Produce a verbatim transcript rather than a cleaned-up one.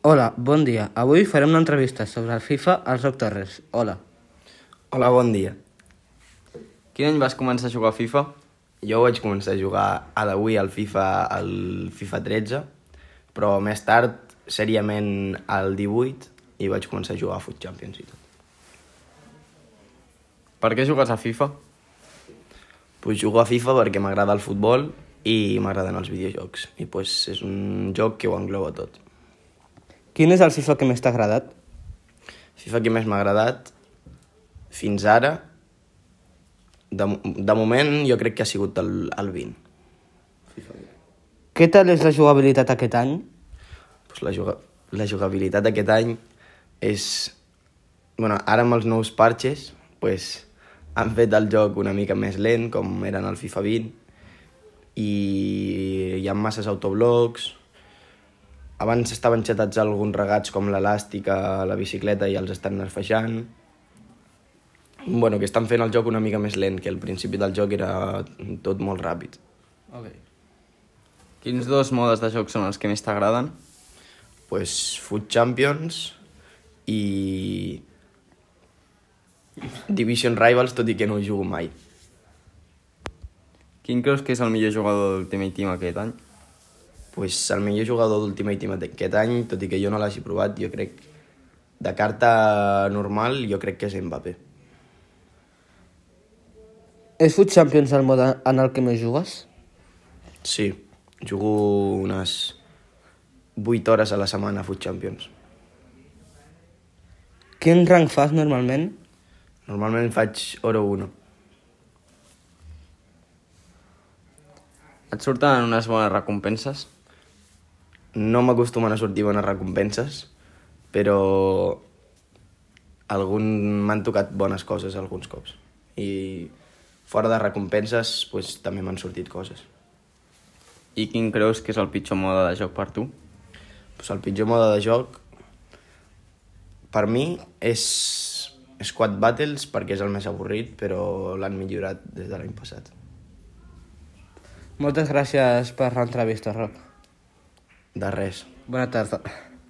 Hola, bon dia. Avui farem una entrevista sobre el FIFA al Roc Torres. Hola. Hola, bon dia. Quin any vas començar a jugar a FIFA? Jo vaig començar a jugar a d'avui al FIFA, al FIFA tretze, però més tard, seriament, al divuit, i vaig començar a jugar a Foot Champions i tot. Per què jugues a FIFA? Pues jugo a FIFA perquè m'agrada el futbol i m'agraden els videojocs. I pues és un joc que ho engloba tot. Quin és el FIFA que més t'ha agradat? FIFA que més m'ha agradat fins ara, de, de moment jo crec que ha sigut el, el vint. Què tal és la jugabilitat aquest any? Pues la, juga, la jugabilitat aquest any és... Bueno, ara amb els nous parches pues, han fet el joc una mica més lent, com era en el FIFA vint, i hi ha masses autoblocs. Abans estaven xatats alguns regats com l'elàstica, la bicicleta, i els estan nerfejant. Bueno, que estan fent el joc una mica més lent, que al principi del joc era tot molt ràpid. Okay. Quins dos modes de joc són els que més t'agraden? Pues Foot Champions i Division Rivals, tot i que no ho jugo mai. Quin creus que és el millor jugador d'Ultimate Team aquest any? Pues el millor jugador d'Ultimate Team aquest any, tot i que jo no l'hagi provat, jo crec, de carta normal, jo crec que és Mbappé. És Foot Champions el mode en el que més jugues? Sí, jugo unes vuit hores a la setmana a Foot Champions. Quin rang fas normalment? Normalment faig Oro uno. Et surten unes bones recompenses? No m'acostumen a sortir bones recompenses, però algun... m'han tocat bones coses alguns cops. I fora de recompenses pues, també m'han sortit coses. I quin creus que és el pitjor mode de joc per tu? Pues el pitjor mode de joc per mi és Squad Battles, perquè és el més avorrit, però l'han millorat des de l'any passat. Moltes gràcies per l'entrevista, Roc. De res. Bona tarda.